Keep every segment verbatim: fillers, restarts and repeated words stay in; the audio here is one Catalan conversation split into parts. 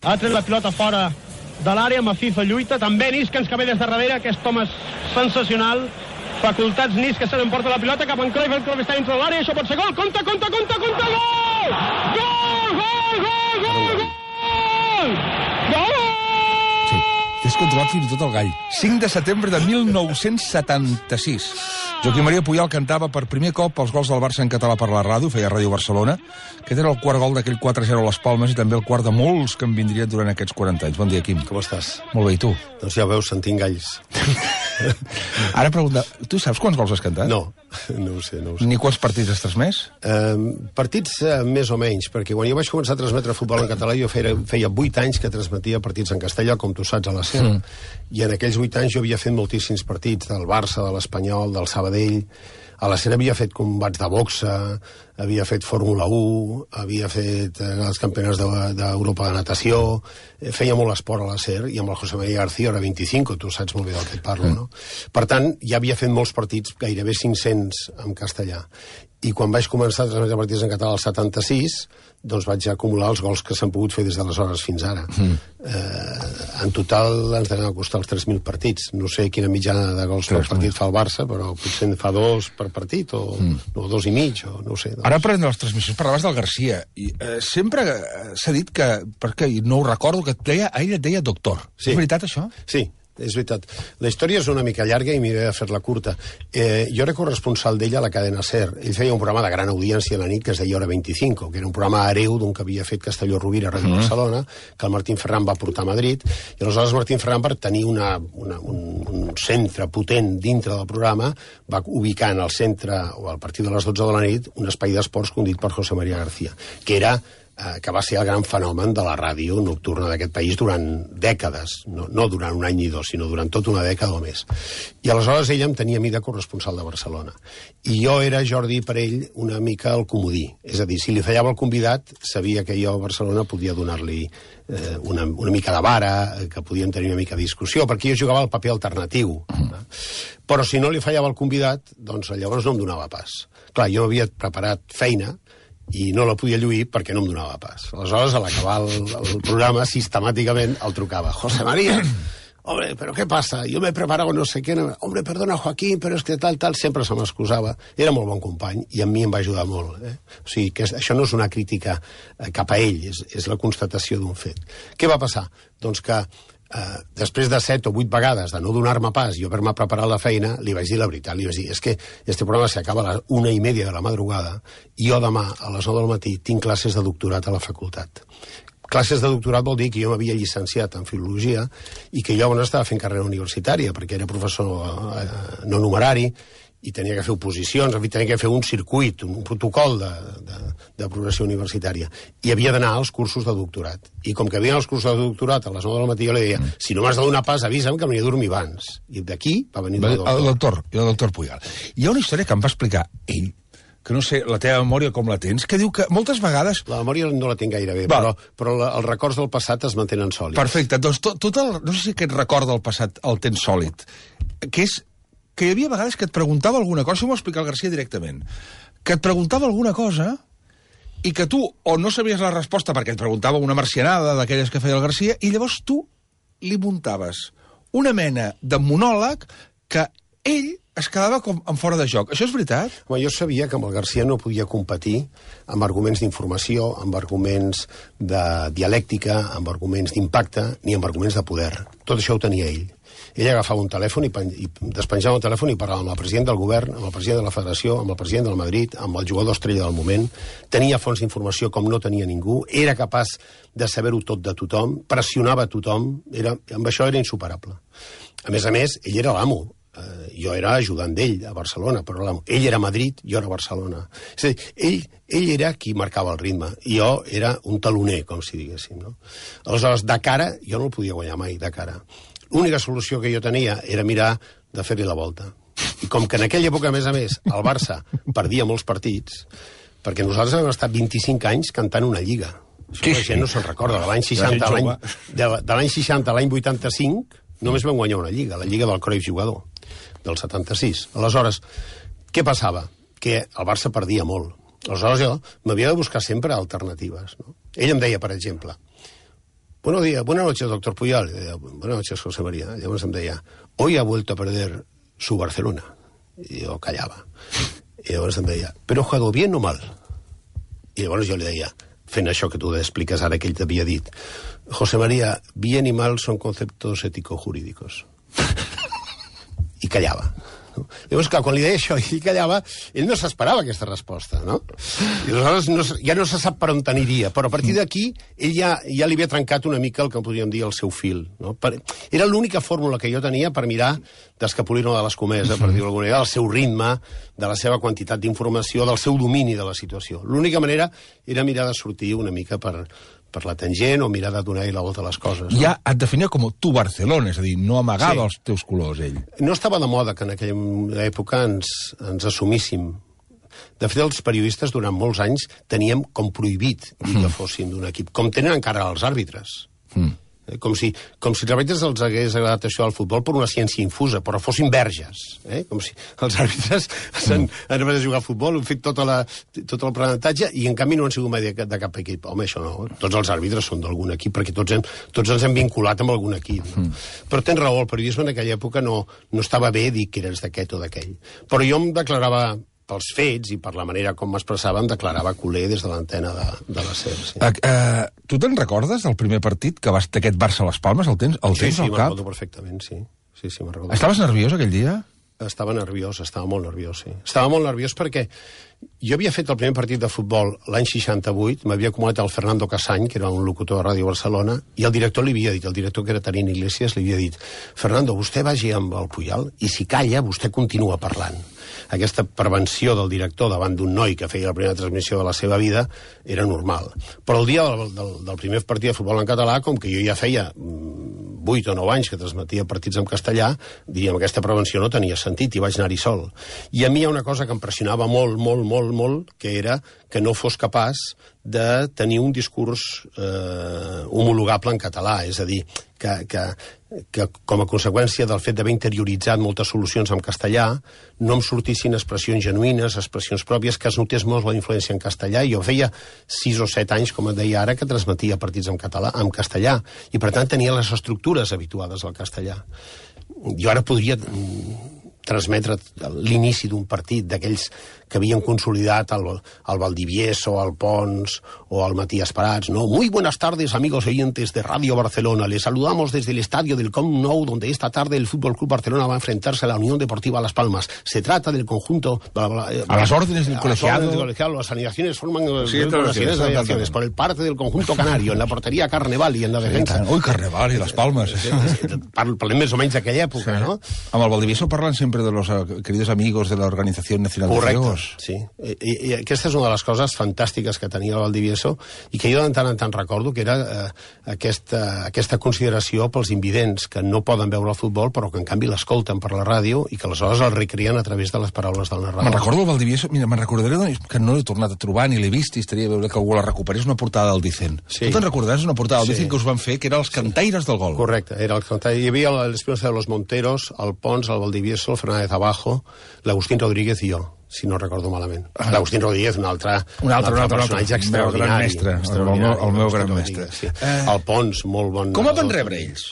Ha tret la pilota fora de l'àrea, amb FIFA lluita, també Nísquens que ve des de darrere, aquest home és sensacional, facultats Nísquens se n'emporta la pilota cap en Cruyff, el Cruyff està dintre de l'àrea, això pot ser gol, compte, compte, compte, compte, gol! Gol, gol, gol, gol, gol! Gol! Sí, és controlat fins i tot el gall. cinc de setembre de mil nou-cents setanta-sis. Joaquim Maria Puyol cantava per primer cop els gols del Barça en català per la ràdio, feia Ràdio Barcelona. Aquest era el quart gol d'aquell quatre a zero a les Palmes i també el quart de molts que en vindrien durant aquests quaranta anys. Bon dia, Quim. Com estàs? Molt bé, i tu? Doncs ja ho veus, sentint galls. Ara pregunta, tu saps quants gols has cantat? No, no ho sé, no ho sé. Ni quants partits has transmès? Uh, partits uh, més o menys, perquè quan jo vaig començar a transmetre futbol en català jo feia, feia vuit anys que transmetia partits en castellà, com tu saps, a la SER. Mm. I en aquells vuit anys jo havia fet moltíssims partits del Barça, de l'Espanyol, del Sabadell. A la SER havia fet combats de boxa, havia fet Fórmula u, havia fet eh, els campionats d'Europa de, de natació, eh, feia molt esport a la SER, i amb el José María García era vint-i-cinc, tu saps molt bé del que et parlo, no? Per tant, ja havia fet molts partits, gairebé cinc-cents en castellà. I quan vaig començar a transmetre partits en català al setanta-sis, doncs vaig acumular els gols que s'han pogut fer des d'aleshores fins ara. Mm. Eh, en total ens deuen costar els tres mil partits. No sé quina mitjana de gols per partit fa el Barça, però potser en fa dos per partit, o, mm. o dos i mig, o no ho sé. Doncs. Ara, parlant de les transmissions, parlaves del Garcia. I, eh, sempre s'ha dit que, perquè no ho recordo, que et deia, ell et deia doctor. Sí. És veritat, això? Sí. És veritat. La història és una mica llarga i m'he de fer-la curta. Eh, jo era corresponsal d'ell a la cadena SER. Ell feia un programa de gran audiència a la nit que es deia Hora vint-i-cinc, que era un programa hereu d'un que havia fet Castelló-Rovira a Ràdio mm. Barcelona, que el Martín Ferran va portar a Madrid, i aleshores Martín Ferran, per tenir una, una, un, un centre potent dintre del programa, va ubicar en el centre, o a partir de les dotze de la nit, un espai d'esports condit per José María García, que era que va ser el gran fenomen de la ràdio nocturna d'aquest país durant dècades, no, no durant un any ni dos, sinó durant tota una dècada o més. I aleshores ella em tenia a mi de corresponsal de Barcelona. I jo era, Jordi, per ell, una mica el comodí. És a dir, si li fallava el convidat, sabia que jo a Barcelona podia donar-li eh, una, una mica de vara, que podíem tenir una mica de discussió, perquè jo jugava el paper alternatiu. Mm. Però si no li fallava el convidat, doncs llavors no em donava pas. Clar, jo havia preparat feina, i no la podia lluir perquè no em donava pas. Aleshores, a l'acabar el, el programa, sistemàticament el trucava. José María, hombre, ¿pero qué pasa? Yo me he preparado no sé qué. No... Hombre, perdona, Joaquín, però és que tal, tal, sempre se m'excusava. Era molt bon company i a mi em va ajudar molt. Eh? O sigui, que això no és una crítica cap a ell, és, és la constatació d'un fet. Què va passar? Doncs que Uh, després de set o vuit vegades de no donar-me pas i haver-me preparat la feina, li vaig dir la veritat, li vaig dir, és que este programa s'acaba a la una i media de la madrugada i jo demà a les nou del matí tinc classes de doctorat a la facultat. Classes de doctorat vol dir que jo m'havia llicenciat en filologia i que jo llavors estava fent carrera universitària perquè era professor uh, no numerari i tenia que fer oposicions, en fi, tenia que fer un circuit, un protocol de, de, de progressió universitària. I havia d'anar als cursos de doctorat. I com que havia els cursos de doctorat a les nou del matí, jo li deia, mm. si no m'has de donar pas, avisa'm que m'hi he dormir abans. I d'aquí va venir el doctor. El doctor, el doctor Puyol. Hi ha una història que em va explicar ell, que no sé, la teva memòria com la tens, que diu que moltes vegades... La memòria no la tinc gaire bé, però, però la, els records del passat es mantenen sòlids. Perfecte, doncs tot, tot el... No sé si aquest record del passat el tens sòlid, que és que hi havia vegades que et preguntava alguna cosa, això m'ho va explicar el Garcia directament, que et preguntava alguna cosa i que tu o no sabies la resposta perquè et preguntava una marcianada d'aquelles que feia el Garcia i llavors tu li muntaves una mena de monòleg que ell es quedava com en fora de joc. Això és veritat? Home, jo sabia que amb el Garcia no podia competir amb arguments d'informació, amb arguments de dialèctica, amb arguments d'impacte, ni amb arguments de poder. Tot això ho tenia ell. Ell agafava un telèfon i, i despenjava el telèfon i parlava amb el president del govern, amb el president de la federació, amb el president del Madrid, amb el jugador estrella del moment. Tenia fonts d'informació com no tenia ningú, era capaç de saber-ho tot de tothom, pressionava a tothom, era, amb això era insuperable. A més a més, ell era l'amo. Uh, jo era ajudant d'ell a Barcelona, però l'amo. Ell era a Madrid, jo era a Barcelona. És a dir, ell, ell era qui marcava el ritme, i jo era un taloner, com si diguéssim, no? Aleshores, de cara, jo no el podia guanyar mai, de cara. L'única solució que jo tenia era mirar de fer-li la volta. I com que en aquella època, a més a més, el Barça perdia molts partits, perquè nosaltres hem estat vint-i-cinc anys cantant una lliga. Això sí, la gent sí. no se'n recorda. De l'any seixanta a l'any de, de l'any seixanta a l'any vuitanta-cinc només vam guanyar una lliga, la lliga del Cruyff jugador, del setanta-sis. Aleshores, què passava? Que el Barça perdia molt. Aleshores jo m'havia de buscar sempre alternatives. No? Ell em deia, per exemple, buenos días, buenas noches, doctor Puyol. Deia, buenas noches, José María. Llavors em deia, hoy ha vuelto a perder su Barcelona. I jo callava. I llavors em deia, però ha jugado bien o mal? I llavors jo li deia, fent això que tu expliques ara que ell t'havia dit, José María, bien y mal son conceptos ético-jurídicos. I callava. No? Llavors, clar, quan li deia això i ell callava, ell no s'esperava aquesta resposta, no? I aleshores no, ja no se sap per on t'aniria, però a partir d'aquí ell ja, ja li havia trencat una mica el que podríem dir el seu fil, no? Per, era l'única fórmula que jo tenia per mirar d'escapolir-me de l'escomesa, per dir-ho d'alguna manera, del seu ritme, de la seva quantitat d'informació, del seu domini de la situació. L'única manera era mirar de sortir una mica per... per la tangent o mirar de donar-hi la volta a les coses. No? Ja et definia com tu Barcelona, és a dir, no amagava sí. els teus colors, ell. No estava de moda que en aquella època ens, ens assumíssim. De fet, els periodistes durant molts anys teníem com prohibit dir que fossin d'un equip, com tenen encara els àrbitres. Mm. Com si, com si els àrbitres els hagués agradat això del futbol per una ciència infusa, però fossin verges. Eh? Com si els àrbitres han anat a jugar al futbol, han fet tota la, tot el aprenentatge i en canvi no han sigut mai de, de cap equip. Home, això no. Tots els àrbitres són d'algun equip perquè tots, hem, tots ens hem vinculat amb algun equip. No? Mm. Però tens raó, el periodisme en aquella època no, no estava bé dir que eres d'aquest o d'aquell. Però jo em declarava... pels fets i per la manera com m'expressava, em declarava culer des de l'antena de, de la SER. Sí. Uh, uh, tu te'n recordes del primer partit que vas d'aquest Barça a les Palmes? El tens, el sí, tens sí, al cap? Sí, me'n recordo perfectament, sí. sí, sí me'n Estaves nerviós aquell dia? Estava nerviós, estava molt nerviós, sí. Estava molt nerviós perquè jo havia fet el primer partit de futbol l'any seixanta-vuit, m'havia acomodat el Fernando Casany, que era un locutor de Ràdio Barcelona, i el director li havia dit, el director que era Tarín Iglesias, li havia dit, Fernando, vostè vagi amb el Puyol i si calla, vostè continua parlant. Aquesta prevenció del director davant d'un noi que feia la primera transmissió de la seva vida era normal. Però el dia del, del, del primer partit de futbol en català, com que jo ja feia vuit o nou anys que transmetia partits en castellà, diríem, aquesta prevenció no tenia sentit i vaig anar-hi sol. I a mi hi ha una cosa que em pressionava molt, molt, molt, molt, que era que no fos capaç de tenir un discurs eh, homologable en català, és a dir, que, que, que com a conseqüència del fet d'haver interioritzat moltes solucions en castellà, no em sortissin expressions genuïnes, expressions pròpies, que es notés molt la influència en castellà. Jo feia sis o set anys, com et deia ara, que transmetia partits en català, en castellà, i per tant tenia les estructures habituades al castellà. Jo ara podria transmetre l'inici d'un partit d'aquells que havien consolidat el, el Valdivieso, el Pons o el Matías Prats, ¿no? Muy buenas tardes, amigos oyentes de Radio Barcelona. Les saludamos desde el estadio del Camp Nou, donde esta tarde el Fútbol Club Barcelona va a enfrentarse a la Unión Deportiva Las Palmas. Se trata del conjunto... Bla, bla, bla, a las órdenes del colegiado. Del colegiado. Las alineaciones forman sí, las alineaciones por el parte del conjunto canario, en la portería Carneval y en la defensa. Ui, Carneval i Las Palmas. Parlem més o menys d'aquella època, sí. No? Amb el Valdivieso parlen sempre de los queridos amigos de la Organización Nacional de Ciegos. Sí, I, i aquesta és una de les coses fantàstiques que tenia el Valdivieso i que jo de tant en tant recordo, que era eh, aquesta, aquesta consideració pels invidents que no poden veure el futbol però que en canvi l'escolten per la ràdio i que aleshores el recreen a través de les paraules del narrador. Me'n recordo el Valdivieso, mira, me'n recordaré que no l'he tornat a trobar ni l'he vist i estaria a veure que algú la recuperés, una portada del Vicent. Sí. Tu te'n recordaràs una portada del sí. Vicent que us van fer, que era els cantaires del gol. Correcte, era el cantaire. Hi havia l'Espinosa de los Monteros, el Pons, el Valdivieso, el Fernández Abajo, l'Agustín Rodríguez i jo, si no recordo malament. Ah. L'Agustín Rodríguez, un altre, un altre, un altre personatge altre, extraordinari. El gran mestre, el meu, el meu gran mestre. Sí. Eh... El Pons, molt bon... Com van rebre ells?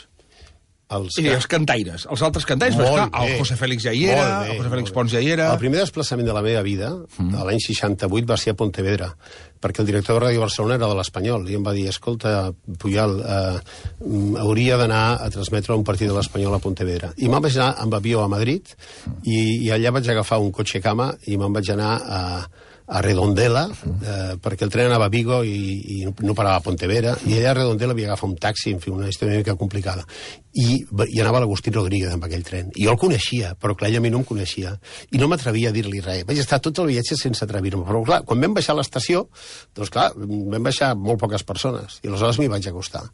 Els, I els cantaires, els altres cantaires, però esclar, el José Félix ja hi era, bé, el José Félix Pons ja hi era... El primer desplaçament de la meva vida, mm. l'any seixanta-vuit, va ser a Pontevedra, perquè el director de Ràdio Barcelona era de l'Espanyol, i em va dir, escolta, Puyol, eh, hauria d'anar a transmetre un partit de l'Espanyol a Pontevedra. I me'n vaig anar amb avió a Madrid, i, i allà vaig agafar un cotxe cama, i me'n vaig anar a... a Redondela, eh, perquè el tren anava a Vigo i, i no parava a Pontevedra, i allà a Redondela havia agafat un taxi, en fi, una història una mica complicada. I, i anava l'Agustín Rodríguez amb aquell tren. I jo el coneixia, però clar, ell a mi no em coneixia. I no m'atrevia a dir-li res. Vaig estar tot el viatge sense atrevir-me. Però clar, quan vam baixar a l'estació, doncs clar, vam baixar molt poques persones. I aleshores m'hi vaig acostar.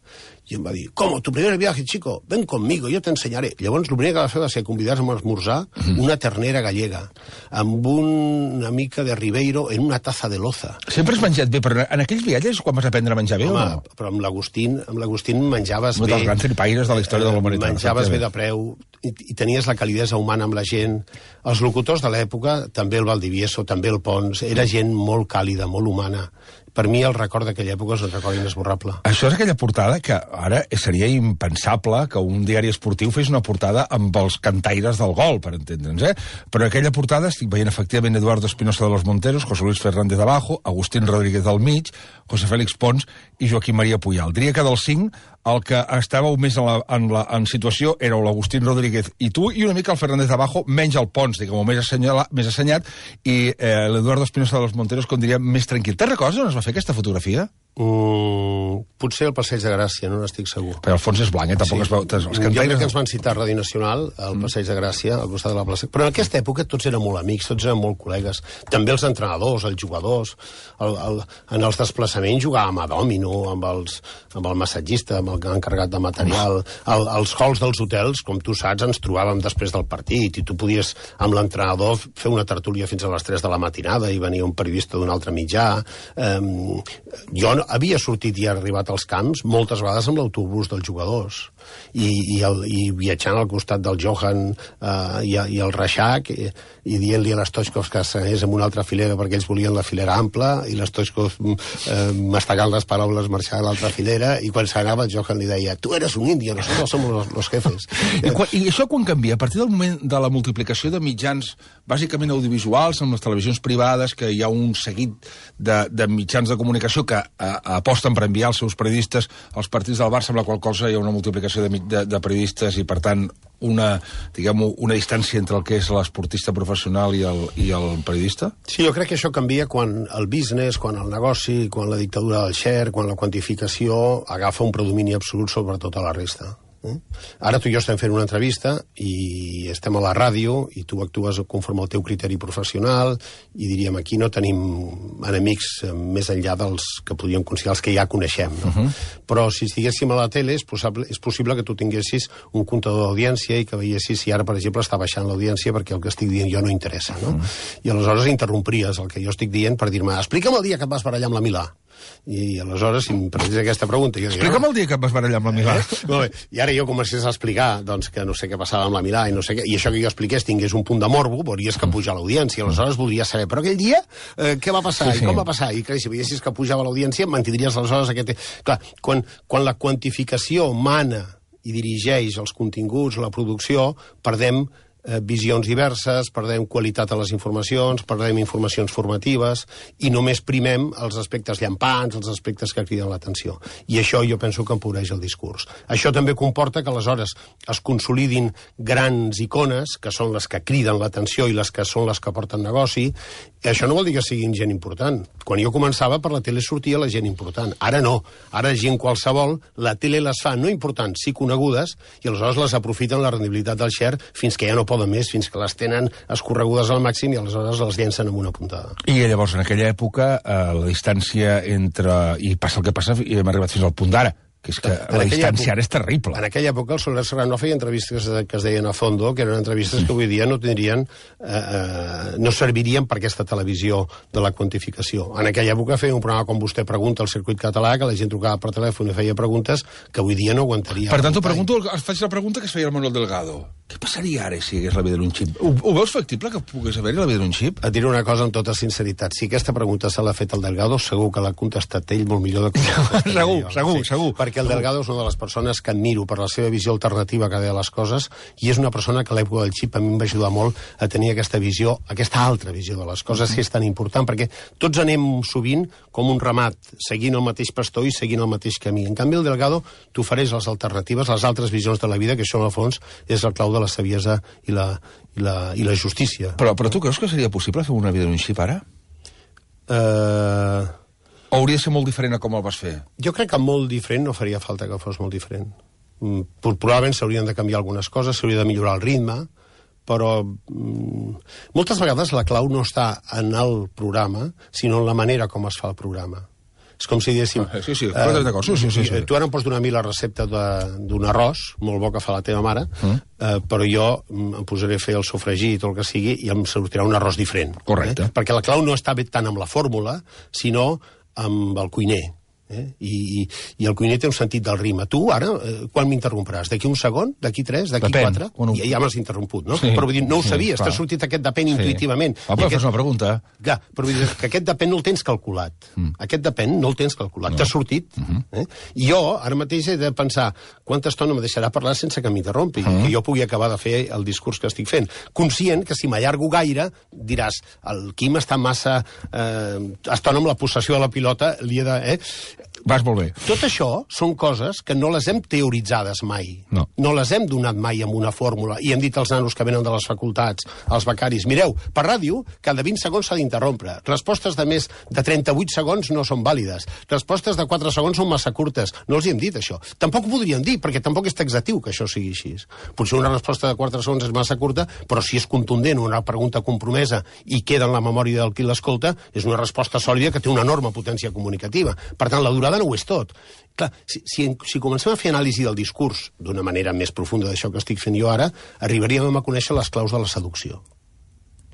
I em va dir, ¿cómo? ¿Tu primer viaje, chico? Ven conmigo, yo te enseñaré. Llavors, el primer que va fer va ser convidar-me a esmorzar una ternera gallega, amb una mica de Ribeiro en una taza de loza. Sempre has menjat bé, però en aquells viatges quan vas aprendre a menjar bé, home, o no? Però amb l'Agustín amb l'Agustín menjaves un bé. Un dels grans tripaires de la història de la humanitat. Menjaves bé de preu. i, i tenies la calidesa humana amb la gent. Els locutors de l'època, també el Valdivieso, també el Pons, era gent molt càlida, molt humana. Per mi el record d'aquella època és un record inesborrable. Això és aquella portada que ara seria impensable que un diari esportiu fes una portada amb els cantaires del gol, per entendre'ns, eh? Però aquella portada estic veient efectivament Eduardo Espinosa de los Monteros, José Luis Fernández de Abajo, Agustín Rodríguez del mig, José Félix Pons i Joaquim Maria Puyal. Diria que dels cinc, el que estàveu més en, la, en, la, en situació éreu l'Agustín Rodríguez i tu, i una mica el Fernández de Abajo, menys el Pons, diguem-ho, més, assenyala, més assenyat, i eh, l'Eduardo Espinosa de los Monteros, com diria, més tranquil. Te'n recordes on es va fer aquesta fotografia? Mm, potser el Passeig de Gràcia, no n'estic segur. Però el fons és blanc, eh? Tampoc sí. Es veu... Els jo crec que ens van citar a Ràdio Nacional, al mm. Passeig de Gràcia, al costat de la plaça. Però en aquesta època tots eren molt amics, tots eren molt col·legues. També els entrenadors, els jugadors, el, el, en els desplaçaments jugàvem a dòmino, amb, els, amb el massatgista, amb el encarregat de material. El, els halls dels hotels, com tu saps, ens trobàvem després del partit i tu podies, amb l'entrenador, fer una tertúlia fins a les tres de la matinada i venia un periodista d'un altre mitjà. Um, jo havia sortit i arribat als camps moltes vegades amb l'autobús dels jugadors i, i, el, i viatjant al costat del Johan uh, i, i el Reixac i, i dient-li a l'Stoichkov que s'anés en una altra filera perquè ells volien la filera ampla i l'Stoichkov uh, mastegant les paraules marxar a l'altra filera i quan s'anava el Johan li deia tu eres un indio, nosotros somos los, los jefes. I, quan, I això quan canvia? A partir del moment de la multiplicació de mitjans bàsicament audiovisuals amb les televisions privades, que hi ha un seguit de, de mitjans de comunicació que uh, aposten per enviar els seus periodistes als partits del Barça, amb la qual cosa hi ha una multiplicació de, de, de periodistes i, per tant, una, diguem-ho, una distància entre el que és l'esportista professional i el, i el periodista? Sí, jo crec que això canvia quan el business, quan el negoci, quan la dictadura del share, quan la quantificació agafa un predomini absolut sobre tota la resta. Ara tu i jo estem fent una entrevista i estem a la ràdio i tu actues conforme al teu criteri professional i diríem aquí no tenim enemics més enllà dels que podríem considerar els que ja coneixem, no? Uh -huh. Però si estiguéssim a la tele és possible, és possible que tu tinguessis un comptador d'audiència i que veiessis si ara, per exemple, està baixant l'audiència perquè el que estic dient jo no interessa, no? Uh -huh. I aleshores interrompiries el que jo estic dient per dir-me explica'm el dia que et vas barallar amb la Milà. I aleshores, si em preguntes aquesta pregunta... Jo Explica'm dic, el dia que et vas barallar amb la Milà. Eh? Molt bé. I ara jo comencés a explicar doncs, que no sé què passava amb la Milà i no sé què, i això que jo expliqués tingués un punt de morbo, veuries que puja l'audiència. Aleshores voldries saber, però aquell dia eh, què va passar sí, sí. i com va passar? I clar, si veiessis que pujava l'audiència, mantindries aleshores aquest... Clar, quan, quan la quantificació mana i dirigeix els continguts, la producció, perdem eh, visions diverses, perdem qualitat a les informacions, perdem informacions formatives i només primem els aspectes llampants, els aspectes que criden l'atenció. I això jo penso que empobreix el discurs. Això també comporta que aleshores es consolidin grans icones, que són les que criden l'atenció i les que són les que porten negoci. I això no vol dir que siguin gent important. Quan jo començava, per la tele sortia la gent important. Ara no. Ara gent qualsevol, la tele les fa no importants, sí conegudes, i aleshores les aprofiten la rendibilitat del share fins que ja no poden més, fins que les tenen escorregudes al màxim i aleshores les llencen amb una puntada. I llavors, en aquella època, eh, la distància entre... I passa el que passa, i hem arribat fins al punt d'ara, que és que en la distància ara és terrible. En aquella època el Soler Serrano feia entrevistes que es deien a fondo, que eren entrevistes que avui dia no tindrien, eh, eh, no servirien per aquesta televisió de la quantificació. En aquella època feia un programa com vostè pregunta al circuit català, que la gent trucava per telèfon i feia preguntes que avui dia no aguantaria. Per tant, t'ho pregunto, es faig la pregunta que es feia el Manuel Delgado. Què passaria ara si hi hagués la vida d'un xip? Ho, ho veus factible que pogués haver-hi la vida d'un xip? Et diré una cosa amb tota sinceritat. Si aquesta pregunta se l'ha fet el Delgado, segur que l'ha contestat ell molt millor de com segur, jo. segur, sí, segur. Perquè el Delgado és una de les persones que admiro per la seva visió alternativa que deia les coses i és una persona que a l'època del xip a mi em va ajudar molt a tenir aquesta visió, aquesta altra visió de les coses, que és tan important, perquè tots anem sovint com un ramat, seguint el mateix pastor i seguint el mateix camí. En canvi, el Delgado t'ofereix les alternatives, les altres visions de la vida, que això, en el fons, és el clau de la saviesa i la, i la, i la justícia. Però, però tu creus que seria possible fer una vida d'un xip ara? Eh... Uh... O hauria de ser molt diferent a com el vas fer? Jo crec que molt diferent no faria falta que fos molt diferent. Mm, probablement s'haurien de canviar algunes coses, s'hauria de millorar el ritme, però mm, moltes vegades la clau no està en el programa, sinó en la manera com es fa el programa. És com si diguéssim... Ah, sí, sí, eh, d'acord, sí, sí, sí, sí. Tu ara em pots donar a mi la recepta d'un arròs, molt bo que fa la teva mare, mm. eh, però jo em posaré a fer el sofregit o el que sigui i em sortirà un arròs diferent. Correcte. Eh? Perquè la clau no està bé tant amb la fórmula, sinó amb el cuiner. Eh? I, i, I el cuiner té un sentit del ritme. Tu, ara, eh, quan m'interrompràs? D'aquí un segon? D'aquí tres? D'aquí quatre? Bueno, I ja m'has interromput, no? Sí, però vull dir, no ho sí, sabies, clar. t'ha sortit aquest depèn sí. intuïtivament. Ah, però aquest... fas una pregunta. Ja, però vull dir que aquest depèn no el tens calculat. Mm. Aquest depèn no el tens calculat. No. T'ha sortit. Mm -hmm. eh? I jo, ara mateix, he de pensar quanta estona me deixarà parlar sense que m'interrompi, mm -hmm. que jo pugui acabar de fer el discurs que estic fent. Conscient que si m'allargo gaire, diràs, el Quim està massa eh, estona amb la possessió de la pilota, li he de... Eh? Vas molt bé. Tot això són coses que no les hem teoritzades mai. No. No les hem donat mai amb una fórmula. I hem dit als nanos que venen de les facultats, als becaris, mireu, per ràdio, cada vint segons s'ha d'interrompre. Respostes de més de trenta-vuit segons no són vàlides. Respostes de quatre segons són massa curtes. No els hi hem dit, això. Tampoc ho podríem dir, perquè tampoc és taxatiu que això sigui així. Potser una resposta de quatre segons és massa curta, però si és contundent, una pregunta compromesa i queda en la memòria del qui l'escolta, és una resposta sòlida que té una enorme potència comunicativa. Per tant, la durada no ho és tot. Clar, si, si, si comencem a fer anàlisi del discurs d'una manera més profunda d'això que estic fent jo ara, arribaríem a conèixer les claus de la seducció.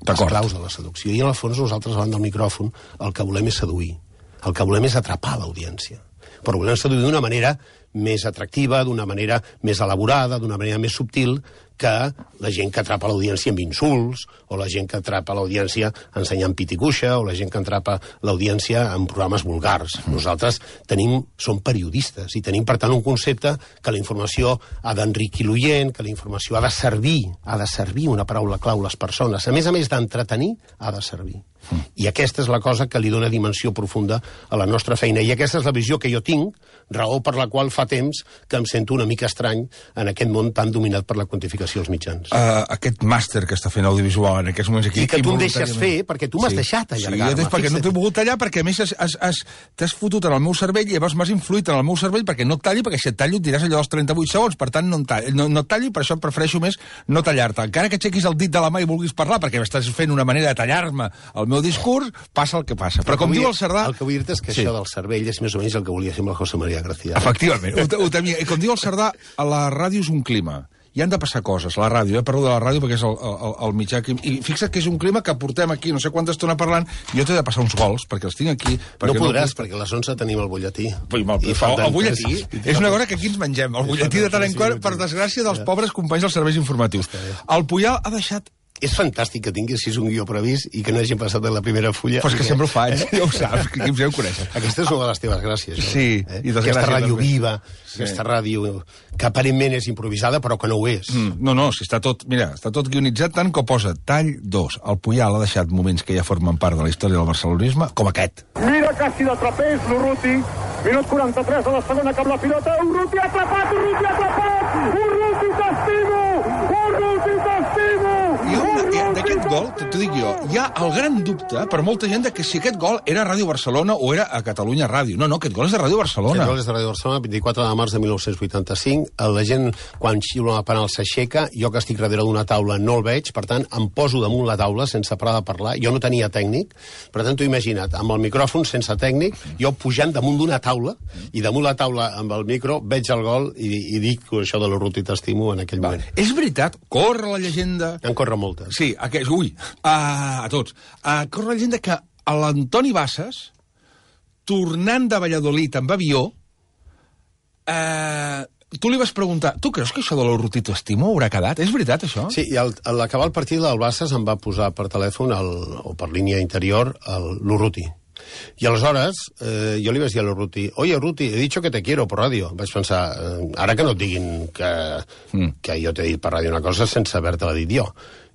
Les claus de la seducció. I en el fons nosaltres, davant del micròfon, el que volem és seduir. El que volem és atrapar l'audiència. Però volem seduir d'una manera més atractiva, d'una manera més elaborada, d'una manera més subtil, que la gent que atrapa l'audiència amb insults, o la gent que atrapa l'audiència ensenyant pit i cuixa, o la gent que atrapa l'audiència en programes vulgars. Nosaltres tenim, som periodistes, i tenim, per tant, un concepte que la informació ha d'enriquir l'oient, que la informació ha de servir, ha de servir una paraula clau a les persones. A més a més d'entretenir, ha de servir. I aquesta és la cosa que li dona dimensió profunda a la nostra feina. I aquesta és la visió que jo tinc, raó per la qual fa temps que em sento una mica estrany en aquest món tan dominat per la quantificació als mitjans. Uh, aquest màster que està fent audiovisual en aquests moments aquí... I que tu em deixes fer, perquè tu m'has sí. deixat allargar-me. Sí, jo perquè no t'he volgut tallar, perquè a més has, has, has, t'has fotut en el meu cervell i llavors m'has influït en el meu cervell perquè no et talli, perquè si et tallo et diràs allò dels trenta-vuit segons, per tant no, em talli, no, no et talli, per això prefereixo més no tallar-te. Encara que aixequis el dit de la mà i vulguis parlar, perquè estàs fent una manera de tallar-me el meu discurs, passa el que passa. Però, Però com diu el Cerdà... El que vull dir-te és que sí. això del cervell és més o menys el que volia fer amb el José María Gracia. Efectivament, ho, ho temia. I com diu el Cerdà, a la ràdio és un clima. Hi han de passar coses, la ràdio, eh? Parlo de la ràdio perquè és el, el, el mitjà... Que... I fixa't que és un clima que portem aquí, no sé quanta estona parlant, jo t'he de passar uns gols, perquè els tinc aquí... No podràs, no... perquè a les onze tenim el butlletí. Pues, mal, I el, el butlletí és una cosa que aquí ens mengem. El butlletí de tant en quant, per desgràcia dels pobres companys dels serveis informatius. El Puyal ha deixat... És fantàstic que tinguis un guió previst i que no hagin passat de la primera fulla. Però és que sempre ho faig, ja ho saps, que aquí ja ho coneixes. Aquesta és una de les teves gràcies. No? Sí. Eh? I aquesta ràdio també. Viva, sí. Aquesta ràdio que aparentment és improvisada, però que no ho és. Mm, no, no, si està tot, mira, està tot guionitzat tant que posa tall dos. El Puyal ha deixat moments que ja formen part de la història del barcelonisme, com aquest. Mira quasi de trapeix, l'Urruti. Minut quaranta-tres de la segona, cap la pilota. Urruti atrapat, Urruti atrapat! Urruti t'estimo! Urruti t'estimo! D'aquest gol, t'ho dic jo, hi ha el gran dubte per molta gent de que si aquest gol era Ràdio Barcelona o era a Catalunya Ràdio. No, no, aquest gol és de Ràdio Barcelona. Aquest gol és de Ràdio Barcelona, vint-i-quatre de març de mil nou-cents vuitanta-cinc. La gent, quan xiula una penal, s'aixeca. Jo, que estic darrere d'una taula, no el veig. Per tant, em poso damunt la taula sense parar de parlar. Jo no tenia tècnic. Per tant, t'ho imagina't, amb el micròfon, sense tècnic, jo pujant damunt d'una taula, i damunt la taula, amb el micro, veig el gol i, i dic això de l'Urruti t'estimo en aquell moment. És veritat, corre la llegenda... En corre moltes. Sí, aquest, ui, a, a tots. A, corre la llegenda que l'Antoni Bassas, tornant de Valladolid amb avió, eh, tu li vas preguntar, tu creus que això de l'Urruti t'estimo haurà quedat? És veritat, això? Sí, i al, a l'acabar el partit del Bassas em va posar per telèfon, el, o per línia interior, l'Urruti. I aleshores, eh, jo li vaig dir a l'Urruti, oye, Urruti, he dicho que te quiero por ràdio. Vaig pensar, eh, ara que no et diguin que, mm. que jo t'he dit per ràdio una cosa sense haver-te-la dit jo.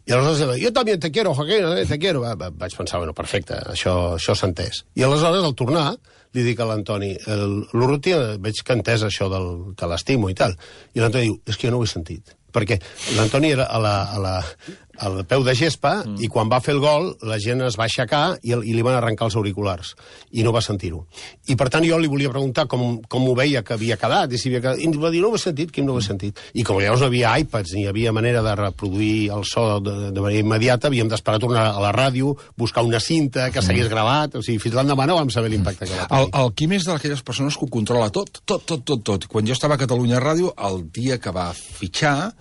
I aleshores, jo també te quiero, Joaquín, eh, te quiero. Va, va, vaig pensar, bueno, perfecte, això, això s'ha entès. I aleshores, al tornar, li dic a l'Antoni, l'Urruti, veig que ha entès això del, que l'estimo i tal. I l'Antoni diu, és que jo no ho he sentit. Perquè l'Antoni era a la, a la, al peu de gespa mm. i quan va fer el gol la gent es va aixecar i, i li van arrencar els auriculars i no va sentir-ho. I per tant jo li volia preguntar com, com ho veia que havia quedat i si havia quedat. I em va dir, no ho he sentit, Quim, no ho he sentit. I com llavors no havia iPads ni hi havia manera de reproduir el so de, de manera immediata, havíem d'esperar a tornar a la ràdio, buscar una cinta que s'hagués gravat, o sigui, fins l'endemà no vam saber l'impacte que va tenir. El, el Quim és d'aquelles persones que ho controla tot, tot, tot, tot, tot. Quan jo estava a Catalunya Ràdio, el dia que va fitxar,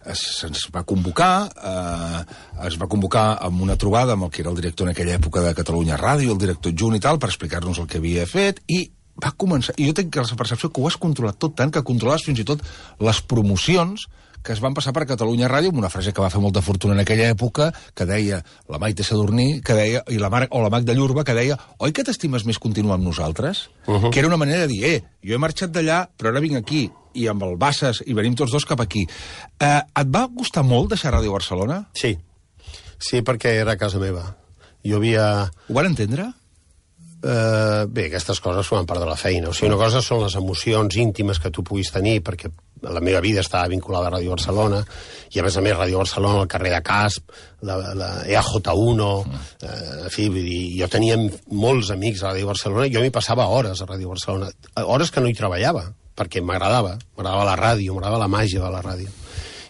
se'ns va convocar, eh, es va convocar amb una trobada amb el que era el director en aquella època de Catalunya Ràdio, el director adjunt i tal, per explicar-nos el que havia fet, i va començar... I jo tinc la percepció que ho has controlat tot tant que controlaves fins i tot les promocions que es van passar per Catalunya Ràdio amb una frase que va fer molta fortuna en aquella època, que deia la Maite Sadurní, que deia, i la Mar, o la Magda Llurba, que deia oi que t'estimes més continuar amb nosaltres? Uh -huh. Que era una manera de dir, eh, jo he marxat d'allà, però ara vinc aquí, i amb el Bassas, i venim tots dos cap aquí. Eh, et va costar molt deixar Ràdio Barcelona? Sí. Sí, perquè era a casa meva. Jo havia... Ho van entendre? Uh, bé, aquestes coses formen part de la feina. O sigui, una cosa són les emocions íntimes que tu puguis tenir, perquè la meva vida estava vinculada a Ràdio Barcelona, i a més a més Ràdio Barcelona, el carrer de Casp, la, la E A J uno, eh, en fi, vull dir, jo tenia molts amics a Ràdio Barcelona, i jo m'hi passava hores a Ràdio Barcelona, hores que no hi treballava, perquè m'agradava, m'agradava la ràdio, m'agradava la màgia de la ràdio.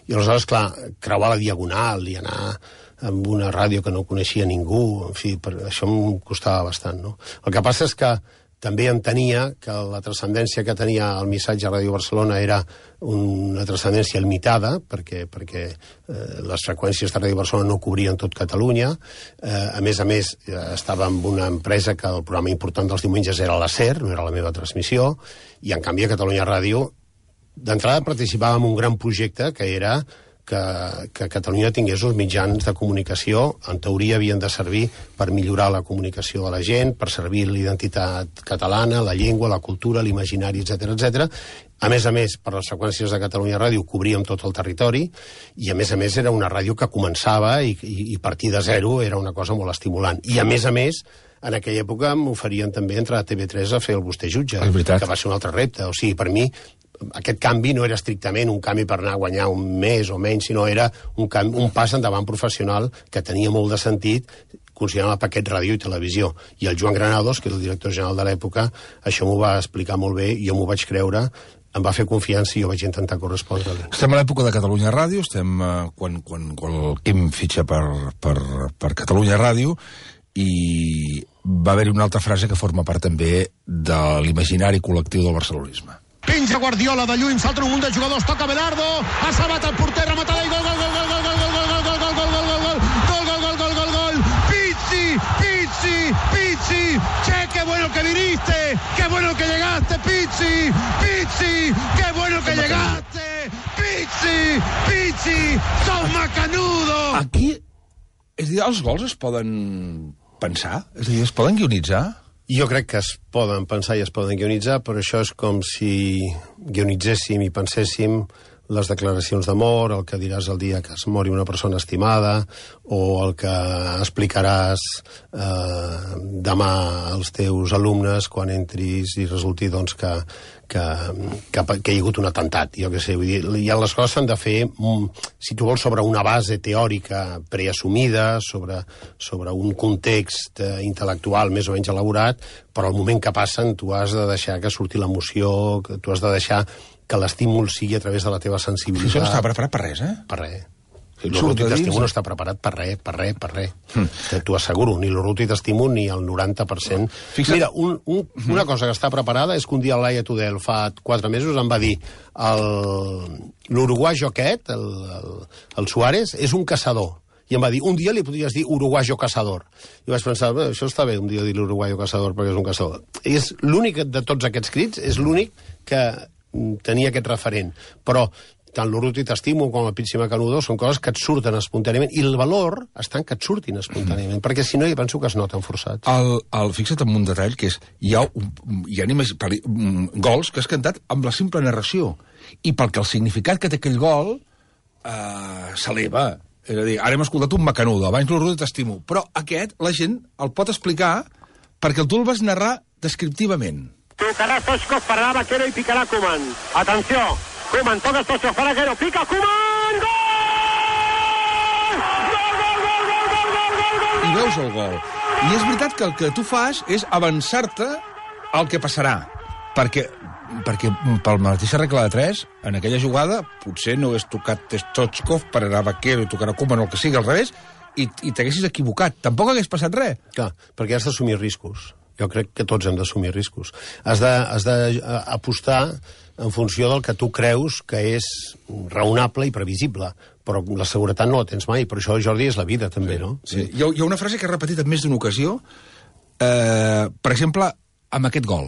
I aleshores, clar, creuar la Diagonal i anar amb una ràdio que no coneixia ningú, en fi, per, això em costava bastant, no? El que passa és que també entenia que la transcendència que tenia el missatge a Ràdio Barcelona era una transcendència limitada, perquè, perquè eh, les freqüències de Ràdio Barcelona no cobrien tot Catalunya. Eh, a més a més, eh, estava amb una empresa que el programa important dels diumenges era la SER, no era la meva transmissió, i en canvi a Catalunya Ràdio, d'entrada participava en un gran projecte que era que, que Catalunya tingués uns mitjans de comunicació, en teoria havien de servir per millorar la comunicació de la gent, per servir l'identitat catalana, la llengua, la cultura, l'imaginari, etcètera, etcètera. A més a més, per les freqüències de Catalunya Ràdio cobríem tot el territori, i a més a més era una ràdio que començava i, i, i partir de zero era una cosa molt estimulant. I a més a més, en aquella època m'oferien també entrar a T V tres a fer el Vostè Jutge, que va ser un altre repte. O sigui, per mi, aquest canvi no era estrictament un canvi per anar a guanyar un mes o menys, sinó era un, canvi, un pas endavant professional que tenia molt de sentit, considerant el paquet ràdio i televisió. I el Joan Granados, que era el director general de l'època, això m'ho va explicar molt bé, jo m'ho vaig creure, em va fer confiança i jo vaig intentar correspondre-li. Estem a l'època de Catalunya Ràdio, estem uh, quan, quan, quan el Quim fitxa per, per, per Catalunya Ràdio, i va haver-hi una altra frase que forma part també de l'imaginari col·lectiu del barcelonisme. Penja Guardiola de lluny, salta un munt de jugadors, toca Belardo, ha salvat el porter, rematada i gol, gol, gol, gol, gol, gol, gol, gol, gol, gol, gol, gol, gol, gol, gol, gol, gol, gol, gol, Pizzi, Pizzi, Pizzi, che, qué bueno que viniste, qué bueno que llegaste, Pizzi, Pizzi, qué bueno que llegaste, Pizzi, Pizzi, sos macanudo. Aquí, és a dir, els gols es poden pensar? És a dir, es poden guionitzar? Jo crec que es poden pensar i es poden guionitzar, però això és com si guionitzéssim i penséssim les declaracions d'amor, el que diràs el dia que es mori una persona estimada, o el que explicaràs eh, demà als teus alumnes quan entris i resulti doncs, que, que, que, que hi ha hagut un atemptat. Jo què sé, vull dir, ja les coses s'han de fer, si tu vols, sobre una base teòrica preassumida, sobre, sobre un context eh, intel·lectual més o menys elaborat, però al moment que passen tu has de deixar que surti l'emoció, que tu has de deixar que l'estímul sigui a través de la teva sensibilitat. Això no està preparat per res, eh? Per res. L'Urruti d'Estímul no està preparat per res, per res, per res. Mm. T'ho asseguro, ni l'Urruti d'Estímul ni el noranta per cent. Fixa't... Mira, un, un, una cosa que està preparada és que un dia el Laia Tudel fa quatre mesos em va dir l'uruguayo aquest, el, el, el Suárez, és un caçador. I em va dir, un dia li podries dir uruguayo cazador. I vaig pensar, bé, això està bé, un dia dir l'uruguayo cazador perquè és un caçador. I és l'únic de tots aquests crits, és l'únic que tenia aquest referent. Però tant l'Urruti t'estimo com el Pizzi Macanudo són coses que et surten espontàniament, i el valor està en que et surtin espontàniament, mm. perquè si no, jo penso que es noten forçats. El, el, fixa't en un detall, que és, hi ha, hi ha animes, pari, gols que has cantat amb la simple narració, i pel que el significat que té aquell gol eh, s'eleva. És a dir, ara hem escoltat un Macanudo, abans l'Urruti t'estimo, però aquest, la gent el pot explicar perquè tu el vas narrar descriptivament. Tocarà Stoichkov, pararà Vaquero i picarà Koeman. Atenció, Koeman toca Stoichkov, farà Vaquero, pica Koeman, gol! Gol, gol, gol, gol, gol, gol, gol, gol! I veus el gol. I és veritat que el que tu fas és avançar-te al que passarà. Perquè, perquè pel mateixa regla de tres, en aquella jugada, potser no hagués tocat Stoichkov, pararà Vaquero i tocarà Koeman, o el que sigui al revés, i, i t'haguessis equivocat. Tampoc hagués passat res. Clar, perquè has d'assumir riscos. Jo crec que tots hem d'assumir riscos. Has d'apostar en funció del que tu creus que és raonable i previsible, però la seguretat no la tens mai, per això, Jordi, és la vida, també, sí, no? Sí. Hi ha, hi ha una frase que he repetit en més d'una ocasió, eh, per exemple, amb aquest gol.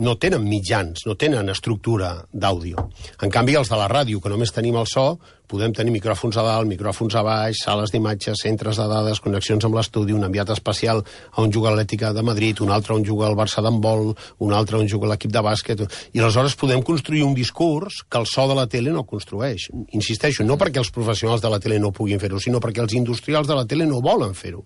no tenen mitjans, no tenen estructura d'àudio. En canvi, els de la ràdio, que només tenim el so, podem tenir micròfons a dalt, micròfons a baix, sales d'imatges, centres de dades, connexions amb l'estudi, un enviat especial a on juga l'Atlètica de Madrid, un altre on juga el Barça d'handbol, un altre on juga l'equip de bàsquet, i aleshores podem construir un discurs que el so de la tele no construeix. Insisteixo, no perquè els professionals de la tele no puguin fer-ho, sinó perquè els industrials de la tele no volen fer-ho.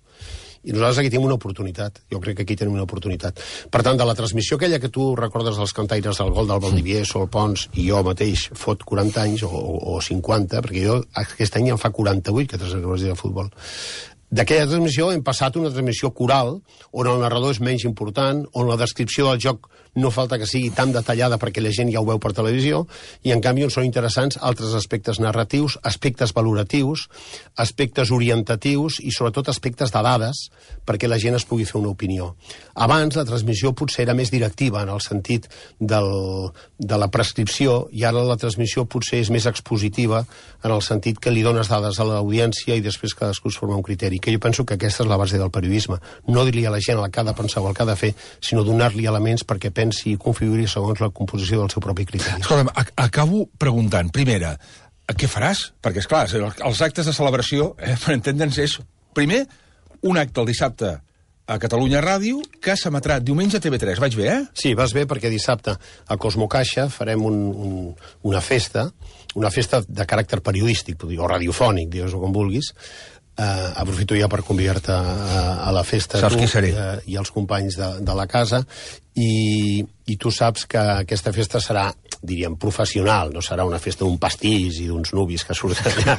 I nosaltres aquí tenim una oportunitat. Jo crec que aquí tenim una oportunitat. Per tant, de la transmissió aquella que tu recordes dels cantaires del gol del Valdivier, Sol Pons, i jo mateix fot quaranta anys, o, o cinquanta, perquè jo aquest any ja en fa quaranta-vuit que transmets de futbol. D'aquella transmissió hem passat una transmissió coral, on el narrador és menys important, on la descripció del joc no falta que sigui tan detallada perquè la gent ja ho veu per televisió, i en canvi on són interessants altres aspectes narratius, aspectes valoratius, aspectes orientatius i sobretot aspectes de dades perquè la gent es pugui fer una opinió. Abans la transmissió potser era més directiva en el sentit del, de la prescripció, i ara la transmissió potser és més expositiva en el sentit que li dones dades a l'audiència i després cadascú es forma un criteri, que jo penso que aquesta és la base del periodisme. No dir-li a la gent el que ha de pensar o el que ha de fer, sinó donar-li elements perquè pensi i configuri segons la composició del seu propi criteri. Escolta'm, acabo preguntant, primera, què faràs? Perquè, esclar, els actes de celebració, eh, per entendre'ns, és, primer, un acte el dissabte a Catalunya Ràdio, que s'emetrà diumenge a T V tres. Vaig bé, eh? Sí, vas bé, perquè dissabte a Cosmocaixa farem un, un, una festa, una festa de caràcter periodístic, o radiofònic, digues-ho com vulguis. Uh, aprofito ja per convidar-te a, a la festa. Saps tu, qui seré. Uh, i els companys de, de la casa, i, i tu saps que aquesta festa serà, diríem, professional, no serà una festa d'un pastís i d'uns nuvis que surten allà.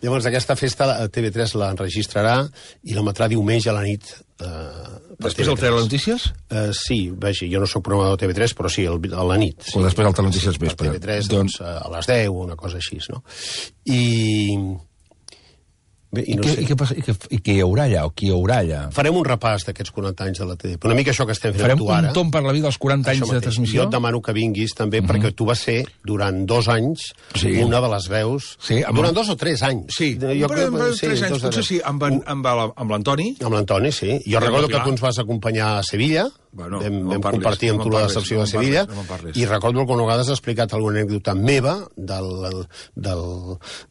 Llavors aquesta festa T V tres l'enregistrarà i l'emetrà diumenge a la nit. Uh, després el Telenotícies? Uh, sí, vaja, jo no soc programador de T V tres, però sí, el, a la nit. Sí. O després el Telenotícies vespre. T V tres, doncs, doncs, a les deu, una cosa així, no? I... Bé, i, no I, què, sé. i, què passa, i, què, I què hi haurà allà? O qui hi haurà allà? Farem un repàs d'aquests quaranta anys de la T V. Una mica això que estem fent Farem tu ara. Farem un tom per la vida dels quaranta anys de transmissió? Jo et demano que vinguis també, mm-hmm. perquè tu vas ser, durant dos anys, sí. una de les veus... Sí, amb... Durant dos o tres anys. Sí, jo, però, però, sí, tres anys, potser sí, amb, en, amb, amb l'Antoni. Amb l'Antoni, sí. Jo recordo que tu ens vas acompanyar a Sevilla, bueno, vam, no vam parlis, compartir amb no tu la parlis, decepció no de Sevilla, parlis, no i recordo que una vegada has explicat alguna anècdota meva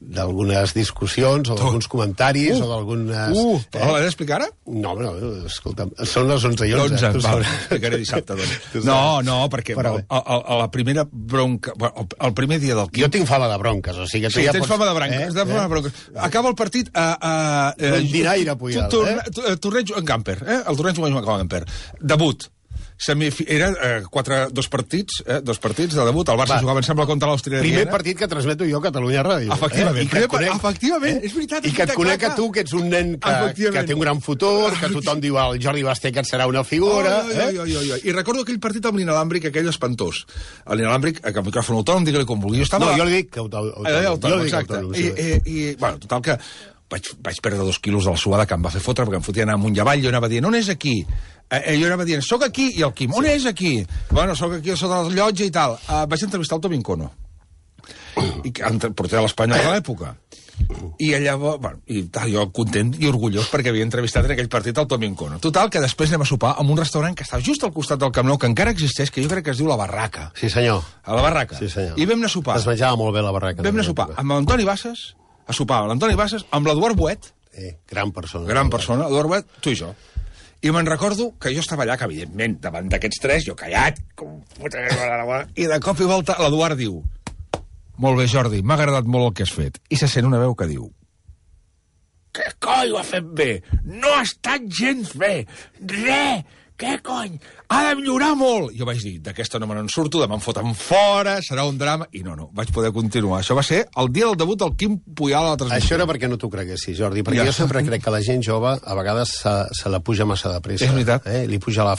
d'algunes discussions o d'alguns comentaris uh, o d'algunes... Uh, eh? L'has d'explicar ara? No, no, escolta'm, són les onze i onze. onze, val, explicaré dissabte, doncs. No, no, perquè el, el, a la primera bronca... El, el primer dia del... Jo tinc fama de bronques, o sigui que tu sí, ja tens pots... fama de bronques, eh? fama de bronques. Acaba el partit a... a, a Rendinaire, Puyal, eh? Torneig en camper, eh? El torneig en camper. Debut. Semifi... Era eh, quatre, dos partits, eh, dos partits de debut. El Barça Va. jugava, em sembla, contra l'Austria. Primer partit que transmeto jo a Catalunya Ràdio. Efectivament. Eh? I que et conec, efectivament, és veritat. I que et conec a tu, que ets un nen que, que té un gran futur, que tothom diu el Jordi Basté que et serà una figura. Oh, eh? oh, oh, oh, oh. I recordo aquell partit amb l'inalàmbric, aquell espantós. L'inalàmbric, que el micròfon autònom, digue-li com vulgui. Estava... No, jo li dic que autònom. Eh, autònom, exacte. I, i, i, bueno, total que vaig, vaig perdre dos quilos de la suada que em va fer fotre, perquè em fotia anar amunt i avall, jo anava dient, on és aquí? Eh, jo anava dient, soc aquí, i el Quim, on sí. és aquí? Bueno, soc aquí sota la llotja i tal. Uh, vaig entrevistar el Toni Encono, i que porter de l'Espanyol de l'època. I llavors, bueno, i tal, jo content i orgullós perquè havia entrevistat en aquell partit el Toni Encono. Total, que després anem a sopar en un restaurant que està just al costat del Camp Nou, que encara existeix, que jo crec que es diu La Barraca. Sí, senyor. A La Barraca. Sí, senyor. I vam anar a sopar. Es menjava molt bé La Barraca. Vam anar a sopar amb l'Antoni Bassas, a sopar amb l'Antoni Bassas, amb l'Eduard Boet. Eh, gran persona. Gran persona, Eduard Boet, tu i jo. I me'n recordo que jo estava allà, que evidentment, davant d'aquests tres, jo callat, com puta... I de cop i volta l'Eduard diu: molt bé, Jordi, m'ha agradat molt el que has fet. I se sent una veu que diu: què coi ho ha fet bé? No ha estat gens bé. Re! Què cony? Ha de millorar molt! Jo vaig dir, d'aquesta no me n'en surto, demà em foten fora, serà un drama... I no, no, vaig poder continuar. Això va ser el dia del debut del Quim Puyal a la transmissió. Això era perquè no t'ho creguessis, Jordi, perquè ja. jo sempre crec que la gent jove a vegades se, se la puja massa de pressa. És veritat. Eh? Li puja la,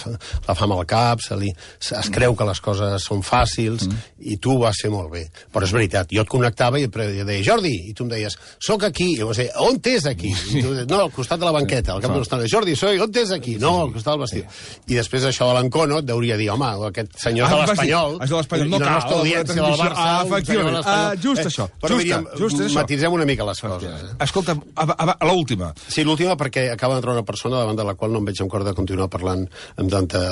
la fam al cap, se li, se, es creu que les coses són fàcils, mm. i tu vas fer molt bé. Però és veritat, jo et connectava i et deia, Jordi, i tu em deies, soc aquí. I jo vaig dir, on t'és aquí? I tu deies, no, al costat de la banqueta, al cap de l'estona. Jordi, soy, on t'és aquí? No, al costat del vestit. I després això de l'Encono et deuria dir, home, aquest senyor Ah, de vas dir, l'Espanyol... és de l'Espanyol, no i la cal, nostra la audiència del transmissió- Barça... Ah, un senyor de efectivament. l'Espanyol. Ah, just això, Però just diríem, just això. matisem una mica les coses. Eh? Escolta, a, a, a l'última. Sí, l'última perquè acaba d'entrar una persona davant de la qual no em veig amb cor de continuar parlant amb tanta,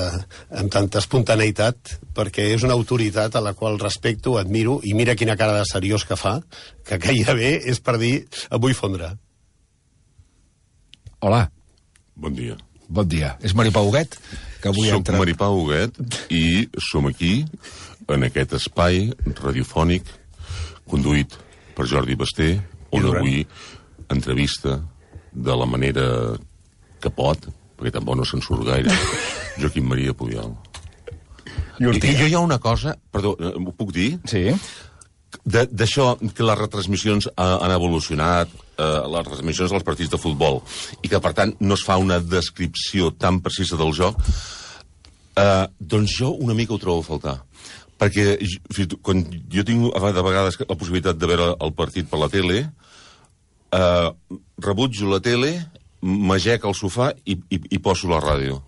amb tanta espontaneïtat, perquè és una autoritat a la qual respecto, admiro, i mira quina cara de seriós que fa, que gairebé és per dir, em vull fondre. Hola, Bon dia. bon dia. És Maripau Huguet, que avui Soc entra... Maripau Huguet i som aquí, en aquest espai radiofònic conduït per Jordi Basté, on Duran. avui entrevista de la manera que pot, perquè tampoc no se'n surt gaire, Joaquim Maria Puyol. I, I jo hi ha una cosa, perdó, ho puc dir? Sí. De- D'això, que les retransmissions ha, han evolucionat, eh, les retransmissions dels partits de futbol, i que, per tant, no es fa una descripció tan precisa del joc, eh, doncs jo una mica ho trobo a faltar. Perquè j- quan jo tinc a vegades la possibilitat de veure el partit per la tele, eh, rebutjo la tele, m'agec al sofà i, i, i poso la ràdio.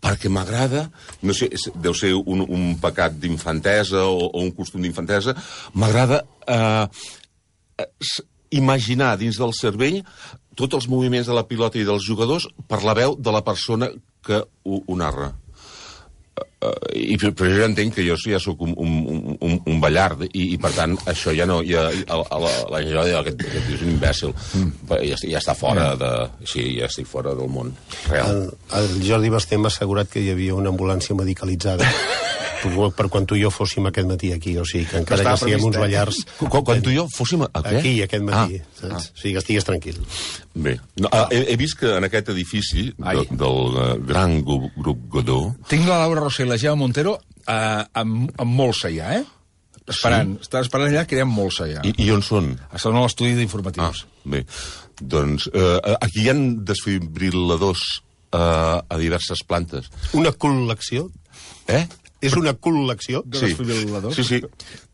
Perquè m'agrada, no sé, és- deu ser un, un pecat d'infantesa o, o un costum d'infantesa, m'agrada eh, s- imaginar dins del cervell tots els moviments de la pilota i dels jugadors per la veu de la persona que ho, ho narra. Uh, i però jo ja entenc que jo ja sóc un, un, un, un ballard i, i per tant això ja no ja, a, a la, la gent va dir aquest, aquest és un imbècil mm. ja, ja està fora de, sí, ja estic fora del món real. El, el Jordi Basté m'ha assegurat que hi havia una ambulància medicalitzada per, per quan tu i jo fóssim aquest matí aquí, o sigui que encara Estava que siguem previst, uns eh? ballars... Quan, quan tu i jo fóssim a, a què? Aquí, aquest matí, Ah, saps? ah. O sigui que estigues tranquil. Bé, no, ah, he, he vist que en aquest edifici de, del uh, gran grup, grup Godó Tinc la Laura Rossell i la Gemma Montero eh, amb, amb molsa ja, eh? Esperant. Sí? Està esperant allà que hi ha molsa ja. i, i on són? Estan a l'estudi d'informatius. Ah, bé, doncs eh, aquí hi ha desfibriladors eh, a diverses plantes. Una col·lecció? Eh? És una col·lecció? De desfibriladors? Sí, sí.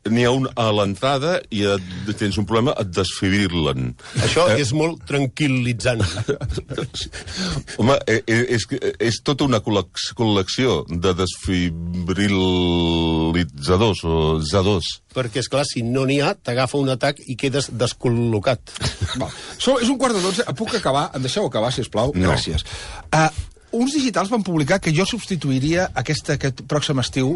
N'hi ha un a l'entrada i et, tens un problema, et desfibrilen. Això eh? és molt tranquil·litzant. Home, eh, és, és tota una col·lecció de desfibrilitzadors o zadors. Perquè, és clar, si no n'hi ha, t'agafa un atac i quedes descol·locat. Va. So, és un quart de dotze. Puc acabar? Em deixeu acabar, sisplau? No. Gràcies. Uh, uns digitals van publicar que jo substituiria aquest, aquest pròxim estiu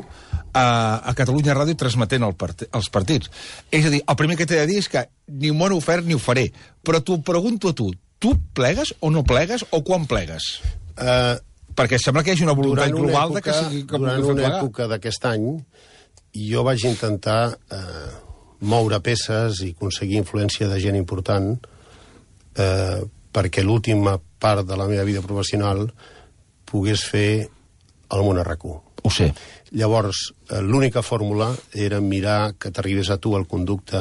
a, a Catalunya Ràdio transmetent el part, els partits. És a dir, el primer que t'he de dir és que ni m'ho han ofert ni ho faré. Però t'ho pregunto a tu. Tu plegues o no plegues o quan plegues? Uh, Perquè sembla que hi hagi una voluntat durant una global època, de que sigui que durant pugui fer una plegar. època d'aquest any, jo vaig intentar eh, moure peces i aconseguir influència de gent important eh, perquè l'última part de la meva vida professional pogués fer el món a RAC1. Ho sé. Llavors, eh, l'única fórmula era mirar que t'arribés a tu el conducte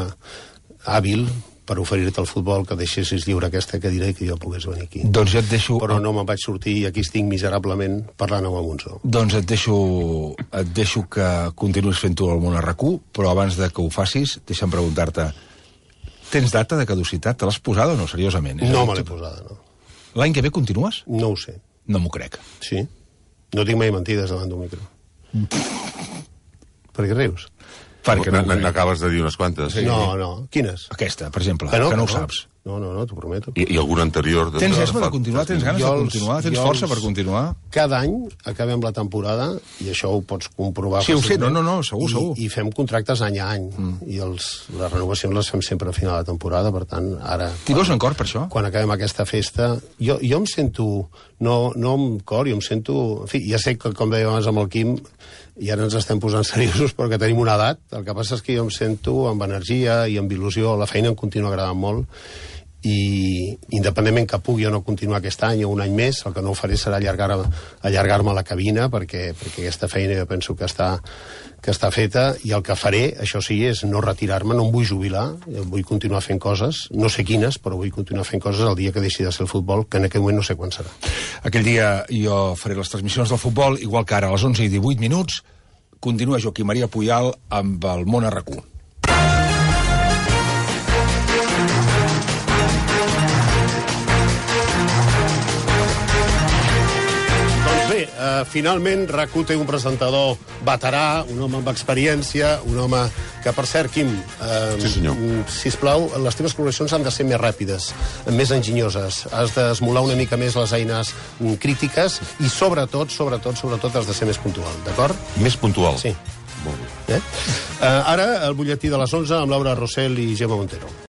hàbil per oferir-te el futbol, que deixessis lliure aquesta cadira i que jo pogués venir aquí. Doncs jo et deixo... Però no me'n vaig sortir i aquí estic miserablement parlant amb el Monzó. Doncs et deixo, et deixo que continuïs fent tu el món a RAC1, però abans de que ho facis, deixa'm preguntar-te, tens data de caducitat? Te l'has posada o no, seriosament? És No a dir, me l'he tu- posada, no. L'any que ve continues? No ho sé. No m'ho crec. Sí? No dic mai mentides davant d'un micro. Per què rius? Perquè no m'ho crec. N'acabes de dir unes quantes. Sí. No, no. Quines? Aquesta, per exemple, Que no, que no ho que no. saps. No, no, no, t'ho prometo. I, I algun anterior... De, Tens de- esma de fa- continuar? Tens ganes de Jo els- continuar? Tens jo força els- per continuar? Cada any acabem la temporada, i això ho pots comprovar Sí, ho sé, fàcilment, no, no, no, segur, i, segur. I fem contractes any a any, mm. i els, les renovacions les fem sempre a final de temporada, per tant, ara... T'hi veus en cor per això? Quan acabem aquesta festa, jo, jo em sento, no, no amb cor, jo em sento... En fi, ja sé que, com deia abans amb el Quim, i ara ens estem posant seriosos perquè tenim una edat, el que passa és que jo em sento amb energia i amb il·lusió, la feina em continua agradant molt, i independentment que pugui o no continuar aquest any o un any més, el que no ho faré serà allargar-me allargar a la cabina, perquè, perquè aquesta feina jo penso que està, que està feta, i el que faré, això sí, és no retirar-me, no em vull jubilar, vull continuar fent coses, no sé quines, però vull continuar fent coses el dia que deixi de ser el futbol, que en aquell moment no sé quan serà. Aquell dia jo faré les transmissions del futbol, igual que ara a les onze i divuit minuts, continua Joaquim Maria Puyol amb el món a RAC1. Doncs bé, uh, finalment RAC1 té un presentador veterà, un home amb experiència, un home que, per cert, Quim, uh, sí, senyor. sisplau, les teves col·laboracions han de ser més ràpides, més enginyoses. Has d'esmolar una mica més les eines crítiques i, sobretot, sobretot, sobretot, has de ser més puntual, d'acord? Més puntual? Sí. Molt bé. Eh? Uh, ara, el butlletí de les onze amb Laura Rossell i Gemma Montero.